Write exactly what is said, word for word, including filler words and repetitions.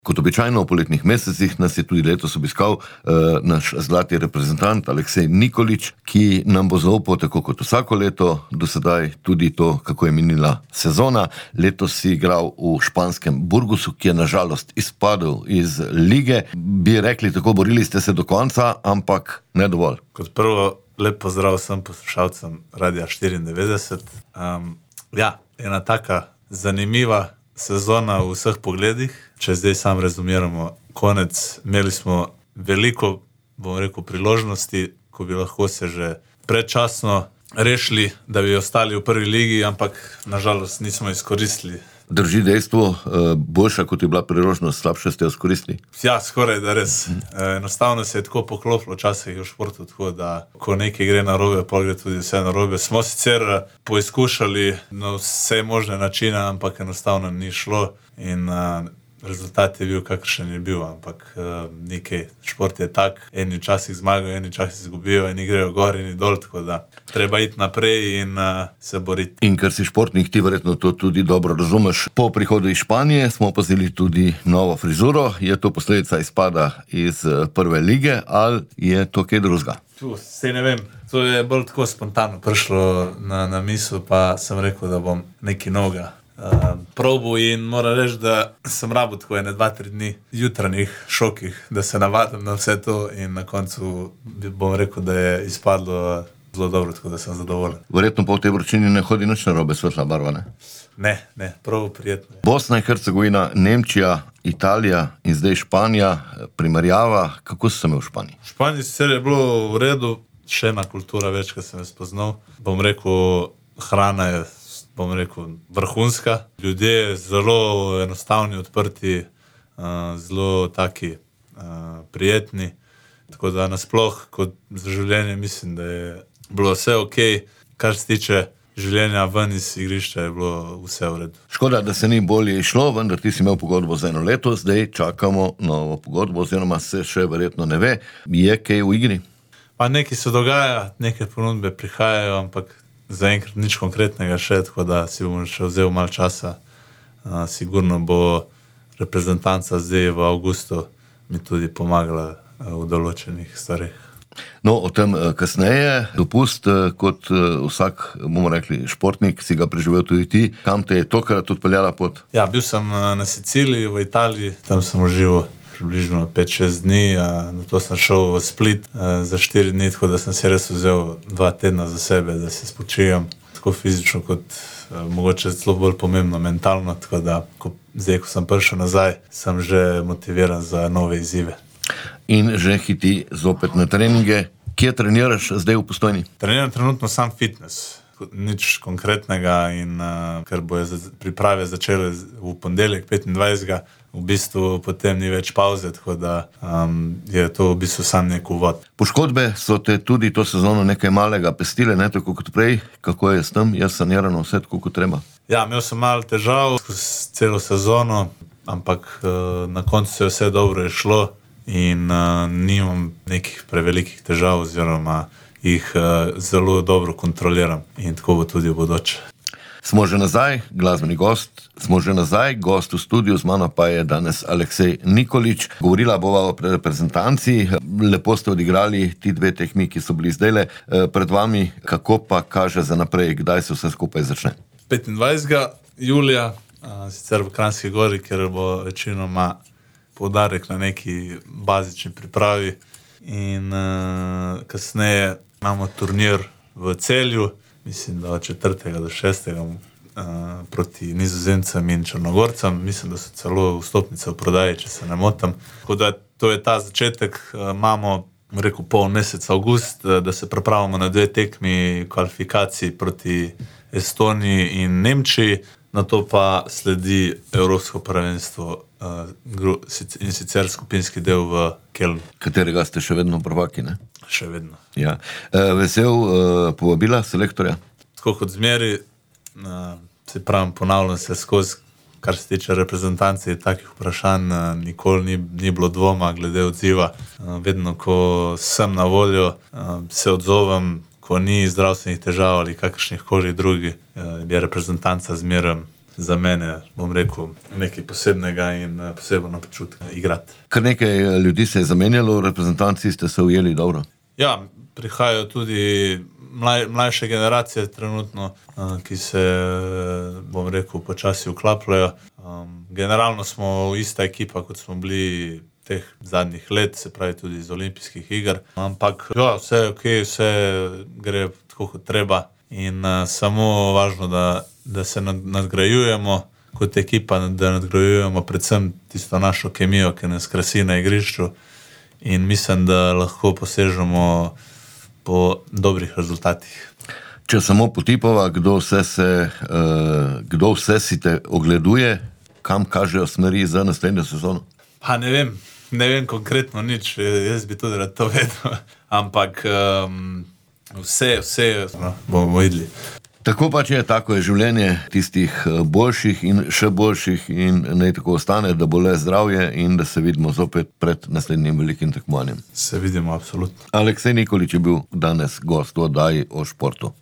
Kot običajno v poletnih mesecih nas je tudi letos obiskal uh, naš zlati reprezentant Aleksej Nikolić, ki nam bo zaupal tako kot vsako leto, do sedaj tudi to, kako je minila sezona. Letos si igral v španskem Burgosu, ki je nažalost izpadel iz lige. Bi rekli tako, borili ste se do konca, ampak ne dovolj. Kot prvo, lep pozdrav vsem poslušalcem Radia štiriindevetdeset. Um, ja, ena taka zanimiva sezona v vseh pogledih. Če zdaj sam rezumiramo konec, imeli smo veliko, bom rekel, priložnosti, ko bi lahko se že predčasno rešili, da bi ostali v prvi ligi, ampak nažalost nismo izkoristili. Drži dejstvo, boljša kot je bila priložnost, slabše ste jo izkoristili? Ja, skoraj da res. Enostavno se je tako poklopilo včasih v športu, tako da ko nekaj gre narobe, pol gre tudi vse narobe. Smo sicer poizkušali na vse možne načine, ampak enostavno ni šlo in rezultat je bil, kakršen je bil, ampak uh, nekaj, šport je tak, eni časih zmagajo, eni časih izgubijo, eni grejo gor, eni dol, tako da treba iti naprej in uh, se boriti. In ker si športnik, ti verjetno to tudi dobro razumeš. Po prihodu iz Španije smo opazili tudi novo frizuro. Je to posledica izpada iz prve lige ali je to kaj drugega? Tu, sej ne vem. To je bolj tako spontano prišlo na, na misel, pa sem rekel, da bom nekaj novega Uh, probu in moram reči, da sem rabil tako ene dva, tri dni jutranjih šokih, da se navadim na vse to in na koncu bom rekel, da je izpadlo zelo dobro, tako da sem zadovoljen. Verjetno pa v tej vročini ne hodi nič narobe, svetla barva, ne? Ne, ne, prav prijetno. Bosna in Hercegovina, Nemčija, Italija in zdaj Španija, primerjava, kako so se imel v Španiji? V Španiji sicer je bilo v redu, še ena kultura več, ko sem jo spoznal. Bom rekel, hrana je bom rekel, vrhunska. Ljudje zelo enostavni, odprti, zelo taki prijetni. Tako da nasploh, kot za življenje, mislim, da je bilo vse ok. Kar se tiče življenja ven iz igrišča, je bilo vse v redu. Škoda, da se ni bolje išlo, vendar ti si imel pogodbo za eno leto, zdaj čakamo novo pogodbo, oziroma se še verjetno ne ve. Je kaj v igri? Pa nekaj se dogaja, neke ponudbe prihajajo, ampak zaenkrat nič konkretnega še, tako da si bom še vzel malo časa. Uh, sigurno bo reprezentanca zdaj v avgustu mi tudi pomagala uh, v določenih stvareh. No, o tem uh, kasneje. Dopust, uh, kot uh, vsak, bomo rekli, športnik, si ga preživel tudi ti. Kam te je tokrat odpeljala pot? Ja, bil sem uh, na Siciliji, v Italiji, tam sem užival približno pet šest dni, na to sem šel v Split za štiri dni, tako da sem si res vzel dva tedna za sebe, da se spočijem, tako fizično kot mogoče celo bolj pomembno, mentalno, tako da ko, zdaj, ko sem prišel nazaj, sem že motiviran za nove izzive. In že hiti zopet na treninge. Kje treniraš zdaj v Postojni? Treniram trenutno sam fitness. Nič konkretnega in uh, ker bojo priprave začele v ponedeljek petindvajsetega v bistvu potem ni več pauze, tako da um, je to v bistvu sam nek uvod. Poškodbe so te tudi to sezono nekaj malega pestile, ne tako kot prej. Kako je s tem? Je sanirano vse tako kot treba? Ja, imel sem malo težav skozi celo sezono, ampak uh, na koncu se je vse dobro šlo in uh, nimam nekih prevelikih težav oziroma jih uh, zelo dobro kontroliram in tako bo tudi v bodoče. Smo že nazaj, glasbeni gost, smo že nazaj, gost v studiu, z mano pa je danes Aleksej Nikolić. Govorila bova o reprezentanci, lepo ste odigrali ti dve tekmi, ki so bili zdajle pred vami, kako pa kaže za naprej, kdaj se vse skupaj začne? petindvajsetega julija, sicer v Kranjski Gori, ker bo večinoma poudarek na neki bazični pripravi in uh, kasneje imamo turnir v Celju, mislim, da od četrtega do šestega uh, proti Nizozemcem in Črnogorcem. Mislim, da so celo vstopnice v prodaji, če se ne motim. Tako da to je ta začetek. Uh, imamo, rekel, pol mesec avgust, uh, da se pripravimo na dve tekmi kvalifikacij proti Estoniji in Nemčiji. Na to pa sledi Evropsko prvenstvo uh, in sicer skupinski del v Kelnu. Katerega ste še vedno prvaki, ne? Še vedno. Ja. Uh, vesel uh, povabila selektorja? Tako kot zmeri, uh, se pravim, ponavljam se skozi, kar se tiče reprezentance takih vprašanj, uh, nikoli ni, ni bilo dvoma glede odziva. Uh, vedno, ko sem na voljo, uh, se odzovem, ko ni zdravstvenih težav ali kakršnih koli drugi, je reprezentanca zmeraj za mene, bom rekel, nekaj posebnega in posebno počutek igrati. Kar nekaj ljudi se je zamenjalo, v reprezentanci ste se ujeli dobro. Ja, prihajajo tudi mlaj, mlajše generacije trenutno, ki se, bom rekel, počasi vklapljajo. Um, generalno smo ista ekipa, kot smo bili teh zadnjih let, se pravi tudi iz olimpijskih iger. Ampak ja, vse je ok, vse gre tako, kot treba. In uh, samo važno, da, da se nad, nadgrajujemo kot ekipa, da nadgrajujemo predvsem tisto našo kemijo, ki nas krasi na igrišču. In mislim, da lahko posežemo po dobrih rezultatih. Če samo potipova, kdo vse, se, uh, kdo vse si te ogleduje, kam kažejo smeri za naslednjo sezono? Pa ne vem, ne vem konkretno nič, jaz bi tudi rad to vedel, ampak um, vse, vse no, bomo videli. Tako pač je, tako je življenje tistih boljših in še boljših in naj tako ostane, da bo le zdravje in da se vidimo zopet pred naslednjim velikim tekmovanjem. Se vidimo, absolutno. Aleksej Nikolić je bil danes gost v oddaji o športu.